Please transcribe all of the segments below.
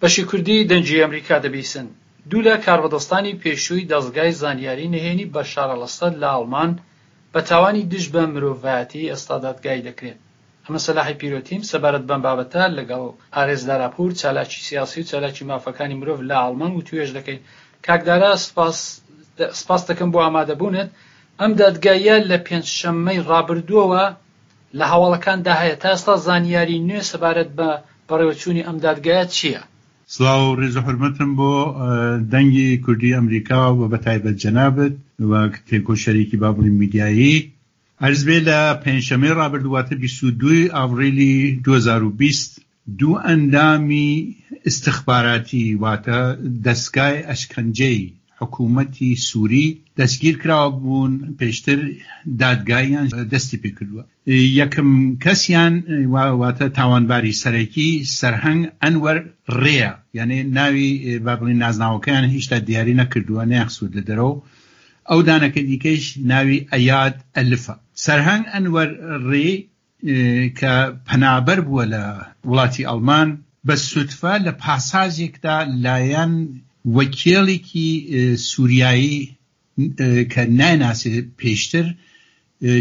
بەشی کوردی دەنگی ئەمریکا دەبیسن. دوو لە کاربەدەستانی پێشووی دەزگای زانیاری نهێنی بەشار ئەلئەسەد لە ئاڵمان بە تاوانی دژ بە مرۆڤایەتی ئێستا دادگایی دەکرێن. ئەمە سەلاحی پیرۆتیم سەبارەت بەم بابەتە لەگەڵ ئارێز داراپوور چالاکی سیاسی و چالاکی مافەکانی مرۆڤ لە ئاڵمان وتوێژ دەکەین. کاک دارا سپاس سپاست دەکەم بۆ ئامادەبوونت. ئەم دادگاییە لە پێنجشەممەی ڕابردووەوە لە هەواڵەکاندا هەیە، تا ئێستا زانیاری نوێ سەبارەت بە بەڕێوەچوونی ئەم دادگایە چییە؟ سڵاو و ڕێز و حورمەتم بۆ دەنگی کوردی ئەمریکا و بەتایبەت جەنابت وەک تێکۆشەرێکی با بڵێین میدیایی. عەرز بێ لە پێنجشەممەی ڕابردوو واتە 22 ئاڤریلی 2020 دوو ئەندامی ئیستخباراتی واتە دەزگای ئەشکەنجەی حکوومەتی سووری دەستگیر کراوبوون، پێشتر دادگاییان دەستی پێکردووە. یەکەم کەسیان واتە تاوانباری سەرەکی سەرهەنگ ئەنوەر ڕێیە، یانێ ناوی با بڵێین نازناوەکەیان هیشتا دیاری نەکردووە، نەیانخستووەتە دەرەوە. ئەو دانەکە دیکەیش ناوی ئەیاد ئەلفە. سەرهەنگ ئەنوەر ڕێ کە پەنابەر بووە لە وڵاتی ئەڵمان، بە سوتفە لە پاساژێکدا لایەن وەکێڵێکی سوریایی کە نایناسێ پێشتر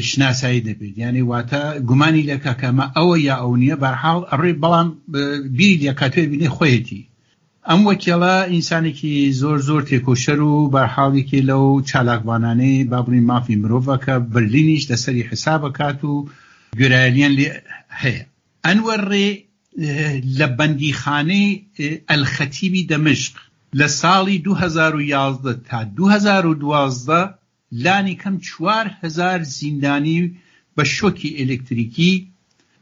شناسایی دەبێت، یانی واتە گومانی لێکا کە ئەمە ئەوە یا ئەو نییە، بەرحاڵ ئەڕێ بەڵام بیری لێکاتوێ بینێ خۆیەتی. ئەم وەکێڵە ئینسانێکی زۆر زۆر تێکۆشەر و بەرحاڵ یەکێ لەو چالاکوانانەی با بڵێین مافی مرۆڤە کە بەرلینیش لەسەری حساب ئەکات و گوێرایەلیان لێ هەیە. ئەنوەر ڕێ لە بەندیخانەی ئەلخەتیبی دەمشق لە ساڵی 2011 تا 2012 لانی کەم 4000 زیندانی بە شۆکی ئێلێکتریکی،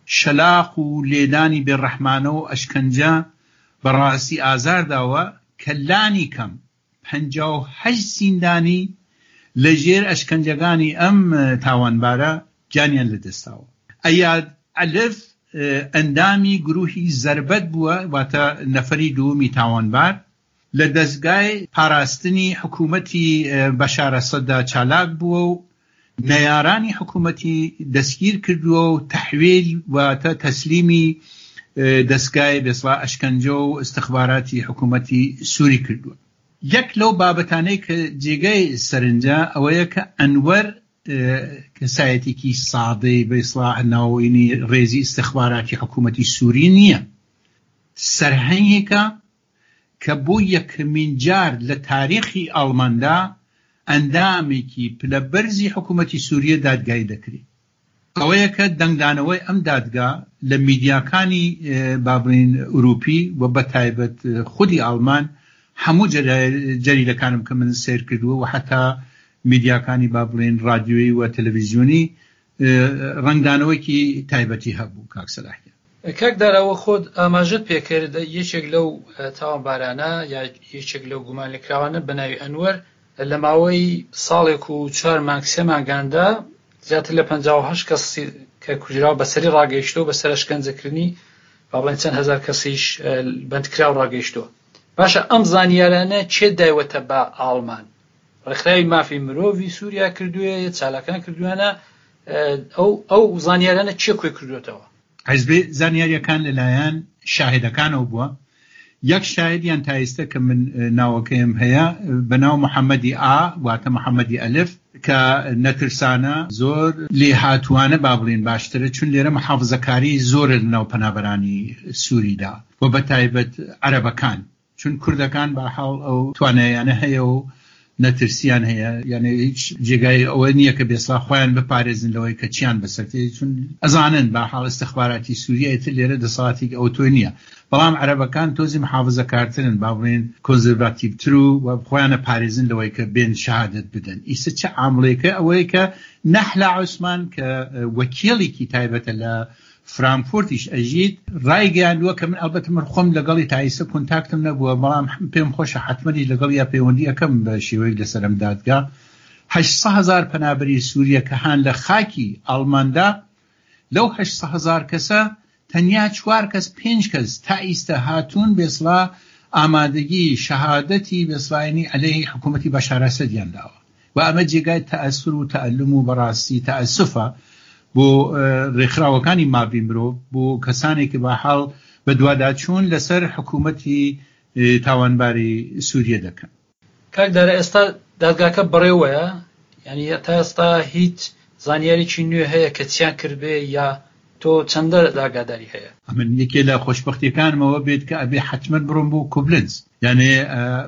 شەلاق و لێدانی بێڕەحمانە و ئەشکەنجە بە ڕاستی ئازار داوە کە لانی کەم 58 زیندانی لە ژێر ئەشکەنجەکانی ئەم تاوانبارە گیانیان لەدەستداوە. ئەیاد ئەلف ئەندامی گروهی زەربەت بووە واتە نەفەری دووەمی تاوانبار، لە دەزگای پاراستنی حکوومەتی بەشار ئەسەددا چالاک بووە و نەیارانی حکوومەتی دەستگیر کردووە و تەحویل واتە تەسلیمی دەزگای بێسڵا ئەشکەنجە و ئیستخباراتی حکوومەتی سووری کردووە. یەک لەو بابەتانەی کە جێگای سەرنجە ئەوەیە کە ئەنوەر کەسایەتێکی سادەی بێسڵا ناوەینی ڕێزی ئیستخباراتی حکوومەتی سووری نییە، سەرهەنگێکە کە بۆ یەکەمین جار لە تاریخی ئاڵماندا ئەندامێکی پلە بەرزی حکوومەتی سووریە دادگایی دەکرێ. ئەوەیە کە دەنگدانەوەی ئەم دادگا لە میدیاکانی با بڵێین ئورووپی و بە تایبەت خودی ئاڵمان هەموو جەریدەکانم کە من سەیر کردووە و حەتا میدیاکانی با بڵێین ڕادیۆیی و تەلەڤیزیۆنی ڕەنگدانەوەیەکی تایبەتی هەبوو کاک سەلاح گیان. کاک دارا وەک خۆت ئاماژەت پێکرد یەکێک لەو تاوانبارانە یا یەکێک لەو گومانلێکراوانە بە ناوی ئەنوەر لە ماوەی ساڵێک و چوار مانگ سێ مانگاندا زیاتر لە 58 کەس کە کوژراو بەسەری ڕاگەیشتووە بەسەر ئەشکەنجەکردنی با بڵێن چەند هەزار کەسیش بەندکراو ڕاگەیشتووە. باشە ئەم زانیارانە کێ دایوەتە بە ئاڵمان؟ ڕێکخراوی مافی مرۆڤی سووریا کردوویە یا چالاکان کردوویانە؟ ئەو ئەو زانیارانە کێ کۆی کردووەتەوە؟ حیزبی زانیاریەکان لەلایەن شاهدەکانەوە بووە، یەک شاهدیان تا ئیستە کە من ناوەکەیم هەیە بە ناو محەمەدی ئا واتە محەمەدی ئەلف کە نەترسانە زۆر لێهاتووانە با بڵێین باشترە چون لێرە محافزەکاری زۆرە لە ناو پەنابەرانی سووریدا و بە تایبەت عەرەبەکان چون کوردەکان بە حاڵ ئەو توانایانە هەیە و نەترسیان هەیە یانێ هیچ جێگای ئەوە نییە کە بێسڵا خۆیان بپارێزن لەوەی کە چیان بەسەر تێ چون ئەزانن بە حاڵ ئیستخباراتی سووریە ئیتر لێرە دەسەڵاتێکی ئەوتۆ نییە بەڵام عەرەبەکان تۆزی محافزەکارترن با بڵێین کۆنزرڤاتیڤتر و خۆیان ئەپارێزن لەوەی کە بێن شەهادەت بدەن ئیسە چ عامڵێکە ئەوەیە کە نەحلا عوسمان کە وەکیڵێکی تایبەتە لە فرانکفۆرتیش ئەژیت، ڕایگەیاندووە کە من ئەڵبەتە من خۆم لەگەڵی تا ئیستە کۆنتاکتم نەبووە، بەڵام پێم خۆشە حەتمەنیش لەگەڵیا پەیوەندی ئەکەم بە شێوەیەک لەسەر ئەم دادگا. 800 هەزار پەنابەری سووریە کە هان لە خاکی ئاڵماندا، لەو 800 هەزار کەسە تەنیا چوار کەس پێنج کەس تا ئیستە هاتوون بێسڵا ئامادەگی شەهادەتی بێسڵاینی عەلەیهی حکوومەتی بەشار ئەسەدیان داوە. و ئەمە جێگای تەئەسور و تەئەلوم و بەڕاستی تەئەسوفە بۆ رێکخراوەکانی ماڤی مرۆڤ، بۆ کەسانێک کە بە حاڵ بەدواداچوون لەسەر حکوومەتی تاوانباری سووریە دەکەن. کاک دارا ئێستا دادگاکە بەڕێوەیە؟ یانی تا ئێستا هیچ زانیاریی نوێ هەیە کە چیان کردبێ یا تۆ چەندە ئاگاداری هەیە؟ ئەمن یەکێ لە خۆشبەختیەکانم ئەوە بێت کە ئەبێ حەتمەن بڕۆم بۆ کوبلنز یانێ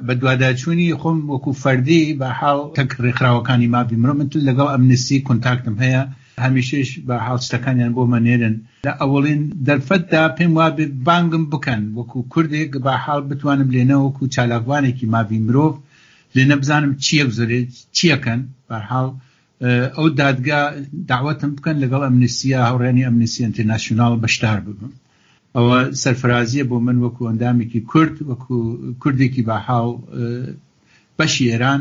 بەدواداچوونی خۆم وەکو فەردی بە حاڵ تەک ڕێکخراوەکانی مافی مرۆ من لەگەڵ ئەمنستی کۆنتاکتم هەیە هەمیشەش بە حاڵ شتەکانیان بۆ مەنێرن لە ئەوەڵین دەرفەتدا پێم وابێ بانگم بکەن وەکو کوردێک بە حاڵ بتوانم لێنە وەکو چالاکوانێکی مافی مرۆڤ لێنە بزانم چییە گوزەرێت چیەکەن بەرحاڵ ئەو دادگا داوەتم بکەن لەگەڵ ئەمنستیا هاوڕێیانی ئەمنستی ئینتەرناسیوناڵ بەشدار ببم ئەوە سەرفرازیە بۆ من وەکو ئەندامێکی کورد وەکو کوردێکی باحاڵ بەشی ئێران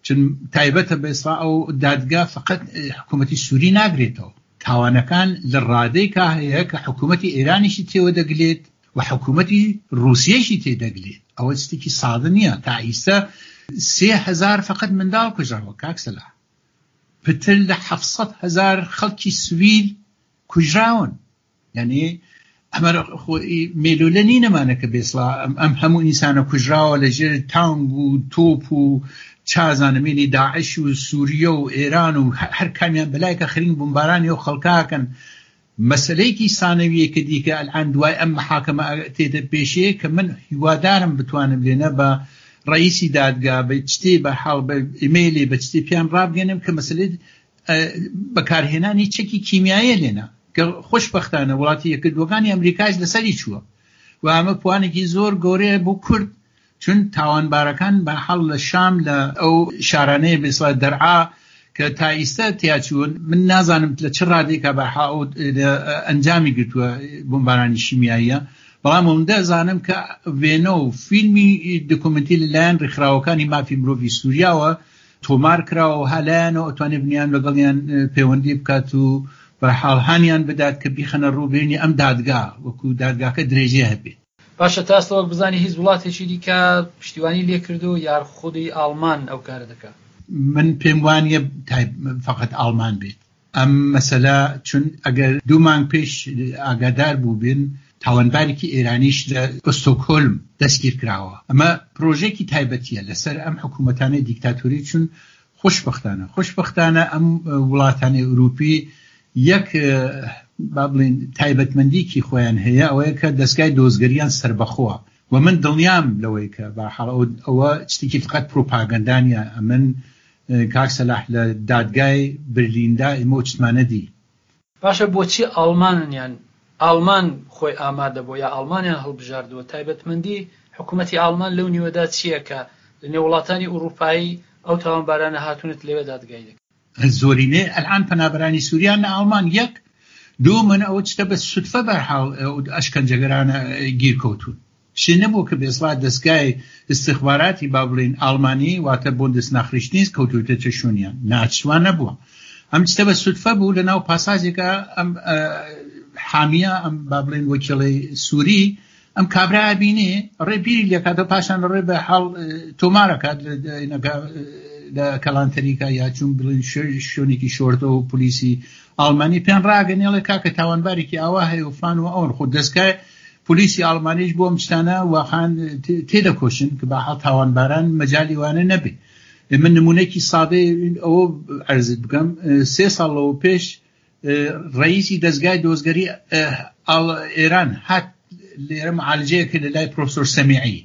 چون تایبەتە بە ئێستا ئەو دادگا فقط حکوومەتی سووری ناگرێتەوە تاوانەکان لە ڕادەی کا هەیە کە حکوومەتی ئێرانیشی تێوە دەگلێت و حکوومەتی ڕووسیەشی تێ دەگلێت ئەوە شتێکی سادە نییە تا ئیستا 3000 فقط منداڵ کوژراوە کاک سەلاح پتر لە 700 هەزار خەڵکی سویل کوژراون یعنی ئەمە مێلولە نینەمانە کە بێسڵا ئەم هەموو ئینسانە کوژراوە لە ژێر تانگ و تۆپ و چازانمێنی داعش و سووریە و ئێران و هەر کامیان بەلایکە خرین بمبارانی و خەڵکاکەن مەسەلەیەکی سانەویەکە دیکە ئەلئان دوای ئەم محاکەمە تێتە پێشێ کە من هیوادارم بتوانم لێنە بە ڕئیسی دادگا بە چتێ بە حاڵ بە ئیمەیلێ بە چتێ پیان ڕابگەنم کە مەسەلەی بەکارهێنانی چەکی کیمیاییە لێنە کە خۆشبەختانە وڵاتی یەکگرتووەکانی ئەمریکاش لەسەری چووە و ئەمە پوانێکی زۆر گەورەیە بۆ کورد چون تاوانبارەکان بە حاڵ لە شام لە ئەو شارانەیە بێسڵا دەرعا کە تا ئیستا تیاچوون من نازانم لە چ ڕادێکا بە حاڵ ئەنجامی گرتووە بۆمبارانی شیمیاییە بەڵام ئەوەندە ئەزانم کە وێنە و فیلمی دۆکۆمێنتی لەلایەن ڕێکخراوەکانی مافی مرۆڤی سووریاوە تۆمار کراوە و هالایانەوە ئەتوانێت بنیان لەگەڵیان پەیوەندی بکات و بە حاڵ هانیان بدات کە بیخەنە ڕوو بێنی ئەم دادگا وەکو دادگاکە درێژەی هەبێت. باشە تا ئێستا وەک بزانی هیچ وڵاتێکی دیکە پشتیوانی لێ کردووە یار خودی ئاڵمان ئەو کارە دەکا؟ من پێم وانیە تایب فەقەت ئاڵمان بێت ئەم مەسەلە چون ئەگەر دوو مانگ پێش ئاگادار بووبن تاوانبارێکی ئێرانیش لە ئۆستۆکهۆلم دەستگیر کراوە ئەمە پرۆژەیەکی تایبەتیە لەسەر ئەم حکوومەتانەی دیکتاتۆری چون خۆشبەختانە خۆشبەختانە ئەم وڵاتانی ئەوروپی یەک با بڵێین تایبەتمەندیکی خۆیان هەیە ئەوەیە کە دەستگای دۆزگەریان سەربەخۆە و من دڵنیام لەوەی کە بەحاڵ ئەوە شتێکی فقط پروپاگەندا نیە ئەمن کاک سەلاح لە دادگای برلیندا ئێمە ئەو چتمانە دی. باشە بۆچی ئاڵماننیان ئاڵمان خۆی ئامادە بووە یا ئاڵمانیان هەڵبژاردووە تایبەتمەندی حکوومەتی ئاڵمان لەو نیوەدا چییە کە لە نێو وڵاتانی ئوڕووپایی ئەو تاوانبارانە هاتوونت لەوێ دادگایی دەکرێن؟ زۆرینەی ئەلئان پەنابەرانی سوریان لە ئاڵمان یەک دوو من ئەوە چتە بە سودفە بەرحاڵ ئەشکەنجەگەرانە گیر کەوتوون شتێ نەبووە کە بێسڵا دەستگای ئیستخباراتی با بڵێین ئاڵمانی واتە بوندس ناخریشتنیست کەوتووتە شوونیان ناچوان نەبووە ئەم شتە بە سودفە بوو لە ناو پاساژێکا ئەم حامیە ئەم با بڵێن وەکیڵی سووری ئەم کابرا ئەبینێ ڕێ بیری لێکاتەوە پاشان ڕێ بە حاڵ تۆمارەکات لە کەڵانتەریکا یا چون بڵین شوێنێکی شۆردە و پلیسی ئاڵمانی پێیان ڕاگەنێڵێ کاکە تاوانبارێکی ئاوا هەیە و فلان و ئەون خۆ دەستگای پلیسی ئاڵمانیش بۆ ئەم شتانە واقعا تێدەکۆشن کە بە حاڵ تاوانباران مەجالی وانە نەبێ من نمونەیەکی سادەی ئەوە عەرزت بکەم سێ ساڵ لەوە پێش ڕئیسی دەزگای دۆزگەری ئێران هات لێرە معالجەیە کرد لە لای پرۆفسۆر سەمیعی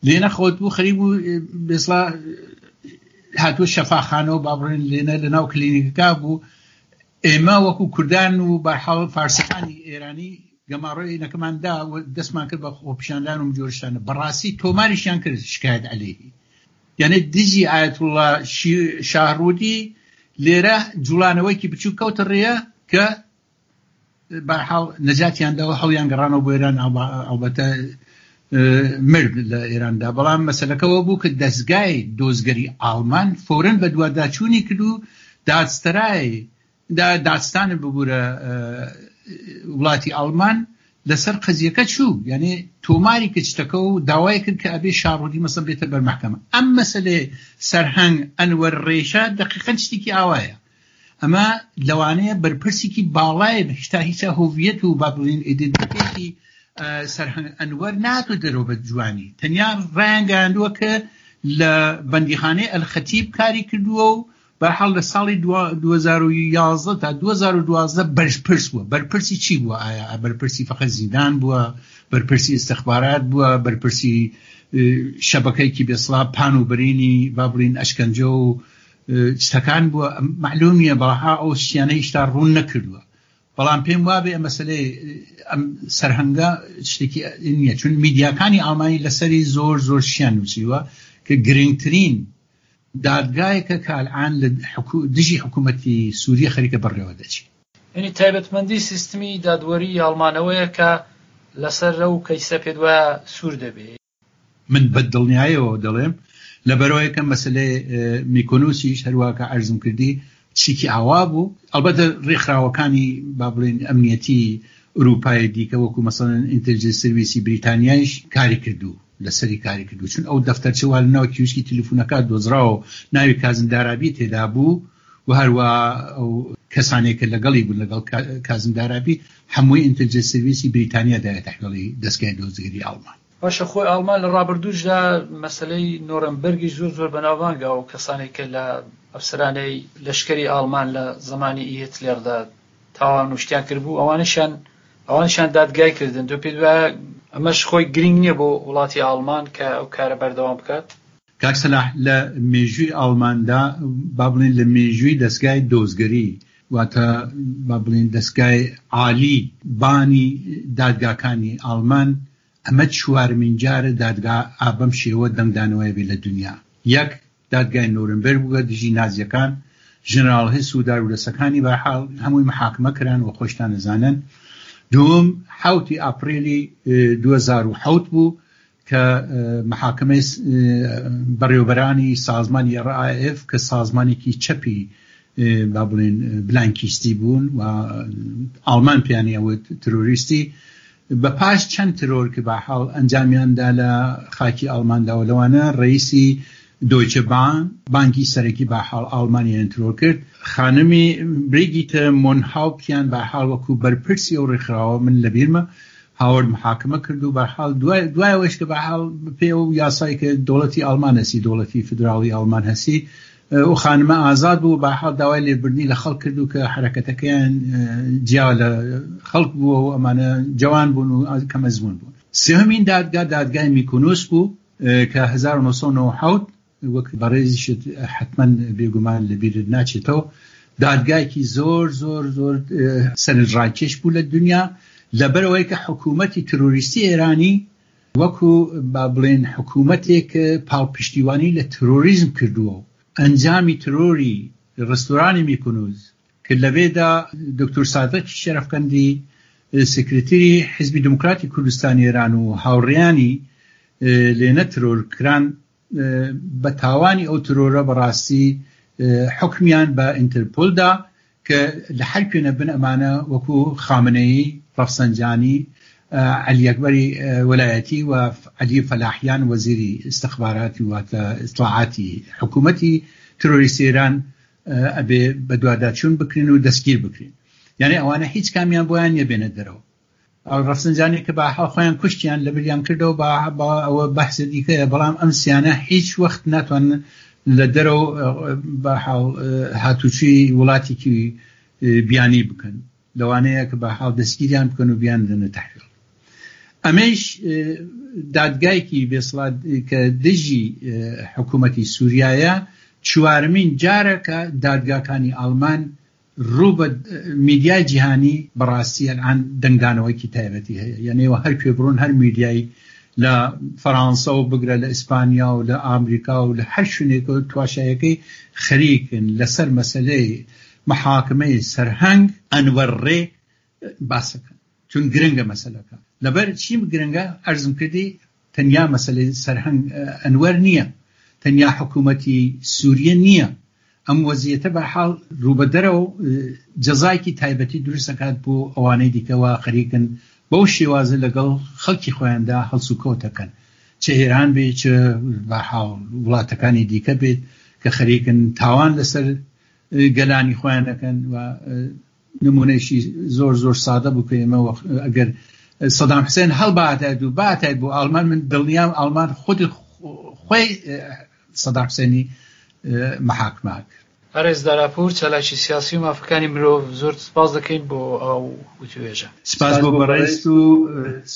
لێنە خۆت بوو خەریک بوو بێسڵا هاتووە شەفاخانەوە با بڵێن لێنە لە ناو کلینیکەکە بوو ئێمە وەکو کوردان و بەرحاڵ فارسەکانی ئێرانی گەماڕۆی نەکەمان دا و دەستمان کرد بە خۆپیشاندان و جۆرشتانە بەڕاستی تۆماریشیان کرد شکایەت عەلەیهی یعنی دژی ئایەتوڵڵا شاهڕودی لێرە جوڵانەوەیکی بچووک کەوتە ڕێیە کە بەرحاڵ نەجاتیان داوە هەڵیان گەڕانەوە بۆ ئێران ئەڵبەتە مرد لە ئێراندا بەڵام مەسەلەکەەوە بوو کە دەستگای دۆزگەری ئاڵمان فۆرن بە دوواداچوونی کرد و دادستەرای دادستان ببوورە وڵاتی ئاڵمان لەسەر قەزیەکە چوو یعنی تۆماری کرد شتەکە و داوای کرد کە ئەبێ شاڕودی مەسەن بێتە بەر مەحکەمە ئەم مەسەلەی سەرهەنگ ئەنوەر ڕێشە دەقیقەن شتێکی ئاوایە ئەمە لەوانەیە بەرپرسێکی باڵای هیچتا هیچا هۆڤیەت و با بڵێین ئیدنتیتێتی سەرهەنگ ئەنوەر ناتوە دەرەوە بە جوانی تەنیا ڕایانگەیاندووە کە لە بەندیخانەی ئەلخەتیب کاری کردووە و بەرحاڵ لە ساڵی 2011 تا 2012 بەرپرس بووە. بەرپرسی چی بووە؟ ئایا بەرپرسی فەقەت زیندان بووە؟ بەرپرسی ئیستخبارات بووە؟ بەرپرسی شەبەکەیەکی بێسڵا پان و برینی با بڵین ئەشکەنجە و شتەکان بووە؟ مەعلوم نییە. بەڵها ئەو شتیانە هیشتا ڕوون نەکردووە. بەڵام پێم وابێ ئەم مەسەلەی ئەم سەرهەنگە شتێکی نییە، چون میدیاکانی ئاڵمانی لەسەری زۆر زۆر شتیان نووسیوە کە گرنگترین دادگایەکە کە ئەلئان لە دژی حکوومەتی سووریە خەریکە بەڕێوە دەچی. یانی تایبەتمەندی سیستمی دادوەری ئاڵمان ئەوەیە کە لەسەر ئەو کەیسە پێت وایە سوور دەبێ. من بە دڵنیایەوە دەڵێم لەبەرئەوەی کە مەسەلەی میکۆنوسیش هەروا کە عەرزم کردی چیکی ئاوا بوو، ئەڵبەتە ڕێکخراوەکانی با بڵێین ئەمنیەتی ئورووپای دیکە وەکوو مەسەلەن ئینتێلجنس سرویسی بریتانیایش کاری کردوو لەسەری کاری کردوو چون ئەو دەفتەرچە وا لە ناو کیوسکی تلیفونەکە دۆزراوە و ناوی کازم دارابی تێدا بوو و هەروا ئەو کەسانێک کە لەگەڵی بوون لەگەڵ کازم دارابی هەمووی ئینتێلجنس سرویسی بریتانیا دایە تەحویڵی دەزگای دۆزگەری ئاڵمان. باشە خۆی ئاڵمان لە ڕابردووشدا مەسەلەی نۆرەمبەرگیش زۆر زۆر بەناوبانگە ئەو کەسانەی کە لە ئەفسەرانەی لەشکری ئاڵمان لە زەمانی ئی هێتلێردا تاوان و شتیان کردبوو ئەوانەشیان ئەوانیشیان دادگای کردن تۆ پێت وایە ئەمەش خۆی گرینگ نییە بۆ وڵاتی ئاڵمان کە ئەو کارە بەردەوام بکات؟ کاک سەلاح لە مێژووی ئاڵماندا با بڵێین لە مێژووی دەسگای دۆزگەری واتە با بڵێین دەسگای عالی بانی دادگاکانی ئاڵمان ئەمە چوارمین جارە دادگا ئا بەم شێوە دەنگدانەوەیە بێ لە دونیا. یەک، دادگای نورنبرگ بووە دژی نازیەکان، ژنراڵ هس و دارودەسەکانی بەرحاڵ هەمووی محاکمە کران و خۆشتان ئەزانن. دووم، حەوتی ئاپریلی 2007 بوو کە محاکمەی بەڕێوەبەرانی سازمانی RAF کە سازمانێکی چەپی با بڵێن بلانکیستی بوون و ئاڵمان پێیانی ئەوت ترۆریستی بە پاش چەند ترۆر کە بەحاڵ ئەنجامیان دا لە خاکی ئاڵماندا و لەوانە ڕەئیسی دۆیچە بان بانکی سەرەکی بەحاڵ ئاڵمانیان ترۆر کرد خانمی بریگیتە مۆنهاوپتیان بەحاڵ وەکوو بەرپرسی ئەو ڕێکخراوە من لەبیرمە هاوەرد محاکمە کرد و بەحاڵ دوای دوای ئەوەیش کە بەحاڵ بەپێی ئەو یاسای کە دەوڵەتی ئاڵمان هەسی دەوڵەتی فیدراڵی ئاڵمان هەسی ئەو خانمە ئازاد بوو بەحاڵ داوای لێبوردنی لە خەڵک کرد و کە حەرەکەتەکەیان جیا لە خەڵک بووە و ئەمانە جوان بوون و کەم ئەزموون بوون. سێهەمین دادگا دادگای میکونوس بوو کە 1997 وەک بەڕێزیشت حەتمەن بێگومان لەبیرت ناچێتەوە دادگایەکی زۆر زۆر زۆر سەرنجڕاکێش بوو لە دنیا لەبەرئەوەی کە حکوومەتی ترۆریستی ئێرانی وەکو با بڵێن حکوومەتێک پاڵپشتیوانی لە ترۆریزم کردووە و ئەنجامی ترۆری ڕستۆرانی میکونوز کە لەوێدا دکتور سادقی شەرەفکەندی سکرتری حیزبی دموکراتی کوردستانی ئێران و هاوڕێیانی لێنە ترۆر کران بە تاوانی ئەو ترۆرە بەڕاستی حوکمیان بە ئینترپۆل دا کە لە هەر کوێ نەبن ئەمانە وەکو خامنەیی، ڕەفسەنجانی، عەلی ئەکبەری وەلایەتی و عەلی فەلاحیان وەزیری ئیستخباراتی واتە ئیتڵاعاتی حکوومەتی ترۆریستی ئێران ئەبێ بەدواداچوون بکرێن و دەستگیر بکرێن. یانێ ئەوانە هیچ کامیان بۆیان نییە بێنە دەرەوە. ڕەفسنجانی کە بە حاڵ خۆیان کوشتیان لەبریان کردەوە بە ئەوە بەحسە دیکەیە بەڵام ئەم سیانە هیچ وەخت ناتوانن لە دەرەوە بە حاڵ هاتوچوی وڵاتێکی بیانی بکەن لەوانەیە کە بە حاڵ دەستگیریان بکەن و بیان دەنە تەحویل ئەمەیش دادگایکی بێسڵات کە دژی حکوومەتی سووریایە چوارمین جارە کە دادگاکانی ئاڵمان ڕوو بە میدیای جیهانی بەڕاستی ئەلئان دەنگدانەوەیکی تایبەتی هەیە یعنی ئێوە هەر کوێ بڕۆن هەر میدیای لە فەرانسە و بگرە لە ئیسپانیا و لە ئامریکا و لە هەر شوێنێکەوە تواشایەکەی خەریکن لەسەر مەسەلەی محاکمەی سەرهەنگ ئەنوەر ڕێ باسەکەن. چون گرنگە مەسەلەکە. لەبەر چی گرنگە عەرزم کردی تەنیا مەسەلەی سەرهەنگ ئەنوەر نییە، تەنیا حکوومەتی سووریە نییە، ئەم وەزیەتە بەرحاڵ ڕووبەدەرەو جەزایەکی تایبەتی دروست ئەکات بۆ ئەوانەی دیکە وا خەریکن بەو شێوازە لەگەڵ خەڵکی خۆیاندا هەڵسوکەوت ئەکەن چ ئێران بێت چ بەرحاڵ وڵاتەکانی دیکە بێت کە خەریکن تاوان لەسەر گەلانی خۆیان ئەکەن و نمونەیەکی زۆر زۆر سادە بوو کە ئێمە ئەگەر سەدام حسێن هەڵباتایت و باتایت بۆ ئاڵمان من دڵنیام ئاڵمان خودی خۆی سەدام حسێنی محاکمە کرد. بەڕێز داراپوور، چالاکی سیاسی و مافەکانی مرۆڤ، زۆرت سپاس دەکەین بۆ ئەو وتوێژە. سپاس بۆ بەڕێزت و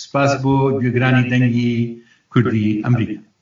سپاس بۆ گوێگرانی دەنگی کوردی ئەمریکا.